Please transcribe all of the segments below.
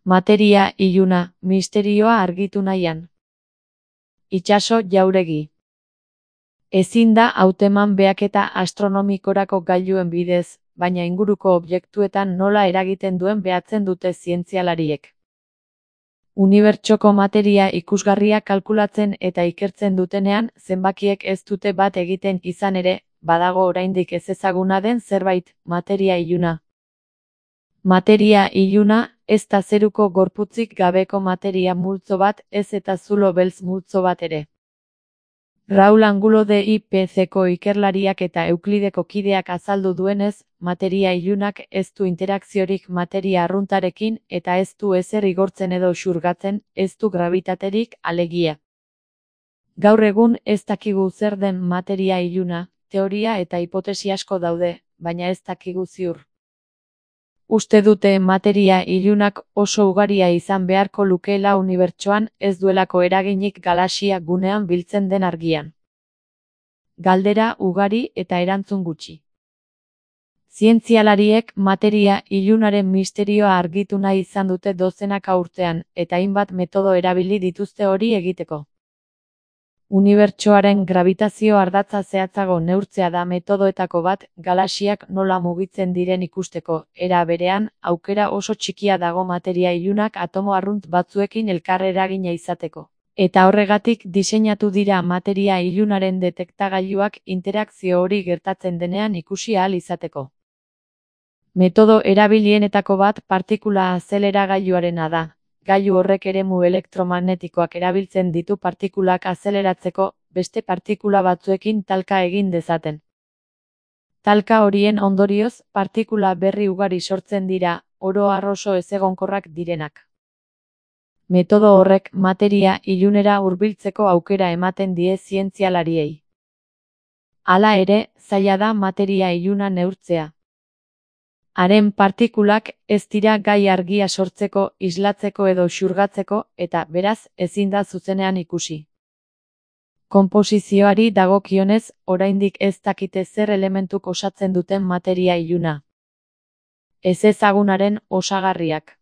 Materia iluna, misterioa argitu nahian. Itsaso Jauregi. Ezin da hauteman behaketa astronomikorako gailuen bidez, baina inguruko objektuetan nola eragiten duen behatzen dute zientzialariek. Unibertsoko materia ikusgarria kalkulatzen eta ikertzen dutenean, zenbakiek ez dute bat egiten izan ere, badago oraindik ezezaguna den zerbait, materia iluna. Materia iluna, ez da zeruko gorputzik gabeko materia multzo bat, ez eta zulo beltz multzo bat ere. Raul Angulo de IPCko ikerlariak eta Euklideko kideak azaldu duenez, materia ilunak ez du interakziorik materia arruntarekin eta ez du ezer igortzen edo xurgatzen, ez du gravitaterik, alegia. Gaur egun ez dakigu zer den materia iluna, teoria eta hipotesi asko daude, baina ez dakigu ziur. Uste dute materia ilunak oso ugaria izan beharko lukeela unibertsoan, ez duelako eraginik galaxia gunean biltzen den argian. Galdera ugari eta erantzun gutxi. Zientzialariek materia ilunaren misterioa argitu nahi izan dute dozenaka urtean, eta hainbat metodo erabili dituzte hori egiteko. Unibertsoaren grabitazio ardatza zehatzago neurtzea da metodoetako bat, galaxiak nola mugitzen diren ikusteko, era berean, aukera oso txikia dago materia ilunak atomo arrunt batzuekin elkar eragina izateko. Eta horregatik diseinatu dira materia ilunaren detektagailuak interakzio hori gertatzen denean ikusi ahal izateko. Metodo erabilienetako bat partikula azeleragailuarena da. Gailu horrek eremu elektromagnetikoak erabiltzen ditu partikulak azeleratzeko, beste partikula batzuekin talka egin dezaten. Talka horien ondorioz, partikula berri ugari sortzen dira, oro har oso ezegonkorrak direnak. Metodo horrek materia ilunera hurbiltzeko aukera ematen die zientzialariei. Hala ere, zaila da materia iluna neurtzea. Haren partikulak ez dira gai argia sortzeko, islatzeko edo xurgatzeko, eta beraz, ezin da zuzenean ikusi. Konposizioari dagokionez, oraindik ez dakite zer elementuk osatzen duten materia iluna. Ezezagunaren osagarriak.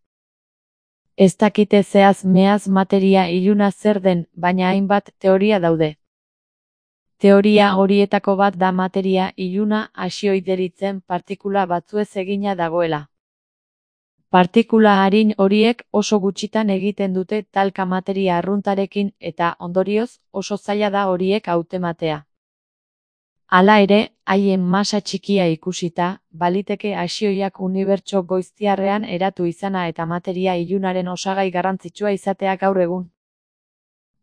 Ez dakite zehaz mehaz materia iluna zer den, baina hainbat teoria daude. Teoria horietako bat da materia iluna hasioi deritzen partikula batzuez egina dagoela. Partikula arin horiek oso gutxitan egiten dute talka materia arruntarekin eta, ondorioz, oso zaila da horiek hautematea. Hala ere, haien masa txikia ikusita, baliteke hasioiak unibertso goiztiarrean eratu izana eta materia ilunaren osagai garrantzitsua izatea gaur egun.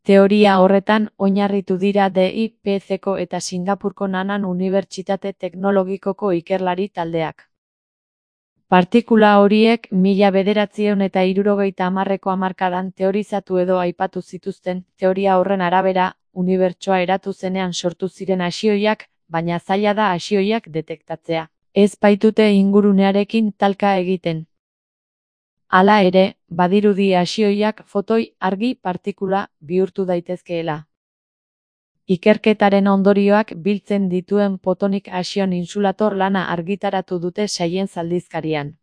Teoria horretan oinarritu dira DIPCko eta Singapurko Nanan Unibertsitate Teknologikoko ikerlari taldeak. Partikula horiek 1970ko hamarkadan teorizatu edo aipatu zituzten, teoria horren arabera, unibertsoa eratu zenean sortu ziren hasioiak, baina zaila da hasioiak detektatzea. Ez baitute ingurunearekin talka egiten. Hala ere, badirudi hasioiak fotoi argi partikula bihurtu daitezkeela. Ikerketaren ondorioak biltzen dituen Photonic Action Insulator lana argitaratu dute Science aldizkarian.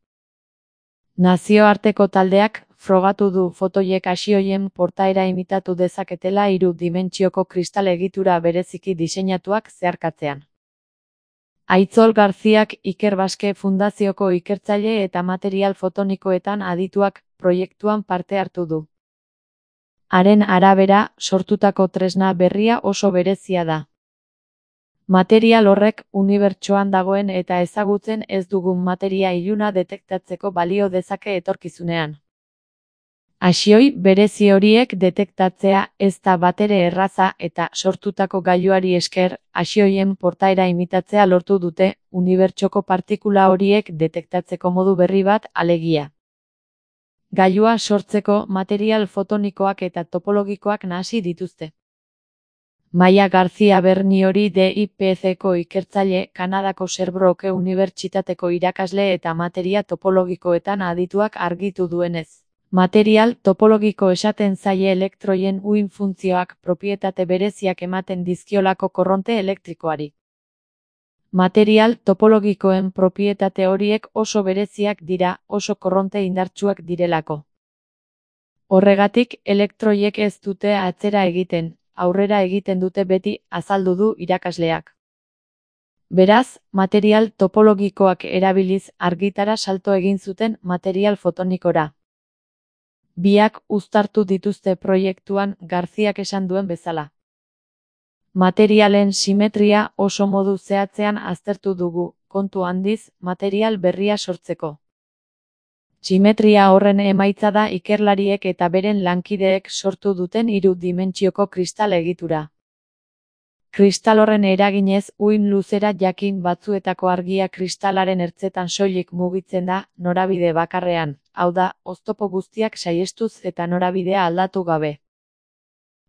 Nazioarteko taldeak frogatu du fotoiek hasioien portaera imitatu dezaketela 3 dimentsioko kristal egitura bereziki diseinatuak zeharkatzean. Aitzol Garziak Iker Baske Fundazioko ikertzaile eta material fotonikoetan adituak proiektuan parte hartu du. Haren arabera, sortutako tresna berria oso berezia da. Material horrek unibertsoan dagoen eta ezagutzen ez dugun materia iluna detektatzeko balio dezake etorkizunean. Hasioi berezi horiek detektatzea ez da batere erraza eta sortutako gailuari esker, hasioien portaera imitatzea lortu dute, unibertsoko partikula horiek detektatzeko modu berri bat, alegia. Gailua sortzeko material fotonikoak eta topologikoak nahasi dituzte. Maia García Berniori DIPCko ikertzaile, Kanadako Sherbrooke Unibertsitateko irakasle eta materia topologikoetan adituak argitu duenez. Material topologiko esaten zaie elektroien uhin funtzioak propietate bereziak ematen dizkiolako korronte elektrikoari. Material topologikoen propietate horiek oso bereziak dira, oso korronte indartsuak direlako. Horregatik, elektroiek ez dute atzera egiten, aurrera egiten dute beti, azaldu du irakasleak. Beraz, material topologikoak erabiliz argitara salto egin zuten material fotonikora. Biak uztartu dituzte proiektuan Garziak esan duen bezala. Materialen simetria oso modu zehatzean aztertu dugu, kontu handiz, material berria sortzeko. Simetria horren emaitza da ikerlariek eta beren lankideek sortu duten 3 dimentsioko kristal egitura. Kristal horren eraginez uhin luzera jakin batzuetako argia kristalaren ertzetan soilik mugitzen da, norabide bakarrean, hau da, oztopo guztiak saihestuz eta norabidea aldatu gabe.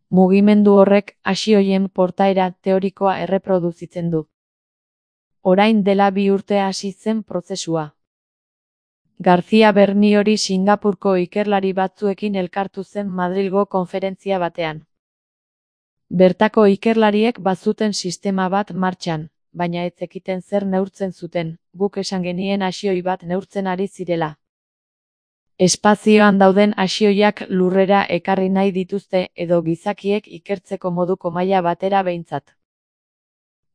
Mugimendu horrek hasioien portaera teorikoa erreproduzitzen du. Orain dela 2 urte hasi zen prozesua. García Berniori Singapurko ikerlari batzuekin elkartu zen Madrilgo konferentzia batean. Bertako ikerlariek bazuten sistema bat martxan, baina ez zekiten zer neurtzen zuten, guk esan genien hasioi bat neurtzen ari zirela. Espazioan dauden hasioiak lurrera ekarri nahi dituzte edo gizakiek ikertzeko moduko maila batera behintzat.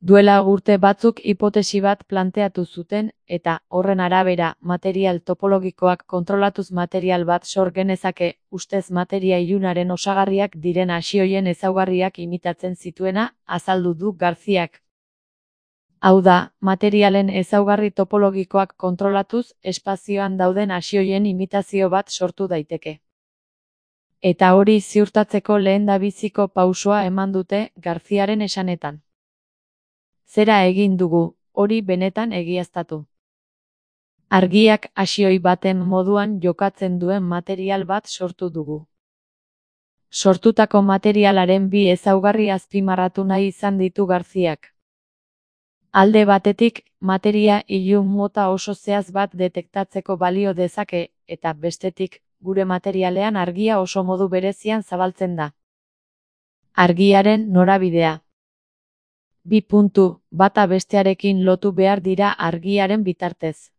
Duela urte batzuk hipotesi bat planteatu zuten, eta, horren arabera, material topologikoak kontrolatuz material bat sor genezake, ustez materia ilunaren osagarriak diren hasioien ezaugarriak imitatzen zituena, azaldu du Garziak. Hau da, materialen ezaugarri topologikoak kontrolatuz, espazioan dauden hasioien imitazio bat sortu daiteke. Eta hori ziurtatzeko lehendabiziko pausoa eman dute, Garziaren esanetan. Zera egin dugu, hori benetan egiaztatu. Argiak hasioi baten moduan jokatzen duen material bat sortu dugu. Sortutako materialaren 2 ezaugarri azpimarratu nahi izan ditu Garziak. Alde batetik, materia ilun mota oso zehatz bat detektatzeko balio dezake, eta bestetik, gure materialean argia oso modu berezian zabaltzen da. Argiaren norabidea. 2 puntu, bata bestearekin lotu behar dira argiaren bitartez.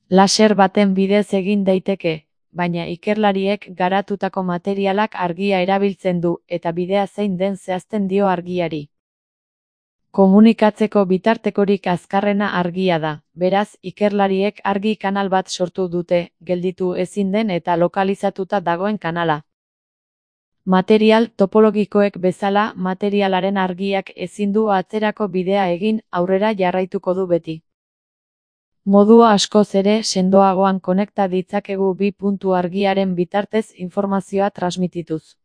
Laser baten bidez egin daiteke, baina ikerlariek garatutako materialak argia erabiltzen du eta bidea zein den zehazten dio argiari. Komunikatzeko bitartekorik azkarrena argia da, beraz ikerlariek argi kanal bat sortu dute, gelditu ezin den eta lokalizatuta dagoen kanala. Material topologikoek bezala materialaren argiak ezin du atzerako bidea egin, aurrera jarraituko du beti. Modu askoz ere sendoagoan konekta ditzakegu 2 puntu argiaren bitartez informazioa transmitituz.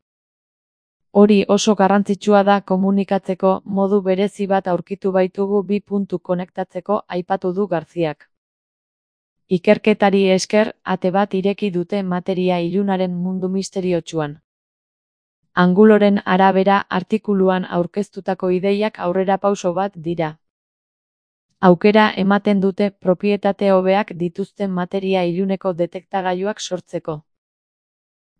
Hori oso garrantzitsua da komunikatzeko, modu berezi bat aurkitu baitugu 2 puntu konektatzeko, aipatu du Garziak. Ikerketari esker, ate bat ireki dute materia ilunaren mundu misteriotsuan. Anguloren arabera artikuluan aurkeztutako ideiak aurrerapauso bat dira. Aukera ematen dute propietate hobeak dituzten materia iluneko detektagailuak sortzeko.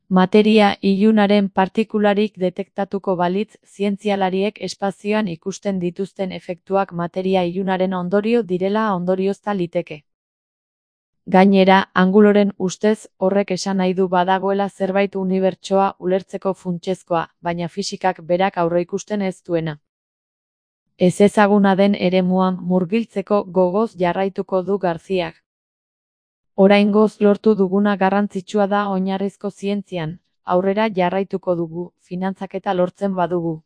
Materia ilunaren partikularik detektatuko balitz, zientzialariek espazioan ikusten dituzten efektuak materia ilunaren ondorio direla ondoriozta liteke. Gainera, anguloren ustez, horrek esan nahi du badagoela zerbait unibertsoa ulertzeko funtsezkoa, baina fisikak berak aurreikusten ez duena. Ezezaguna den eremuan murgiltzeko gogoz jarraituko du Garziak. Oraingoz lortu duguna garrantzitsua da oinarrizko zientzian, aurrera jarraituko dugu, finantzaketa lortzen badugu.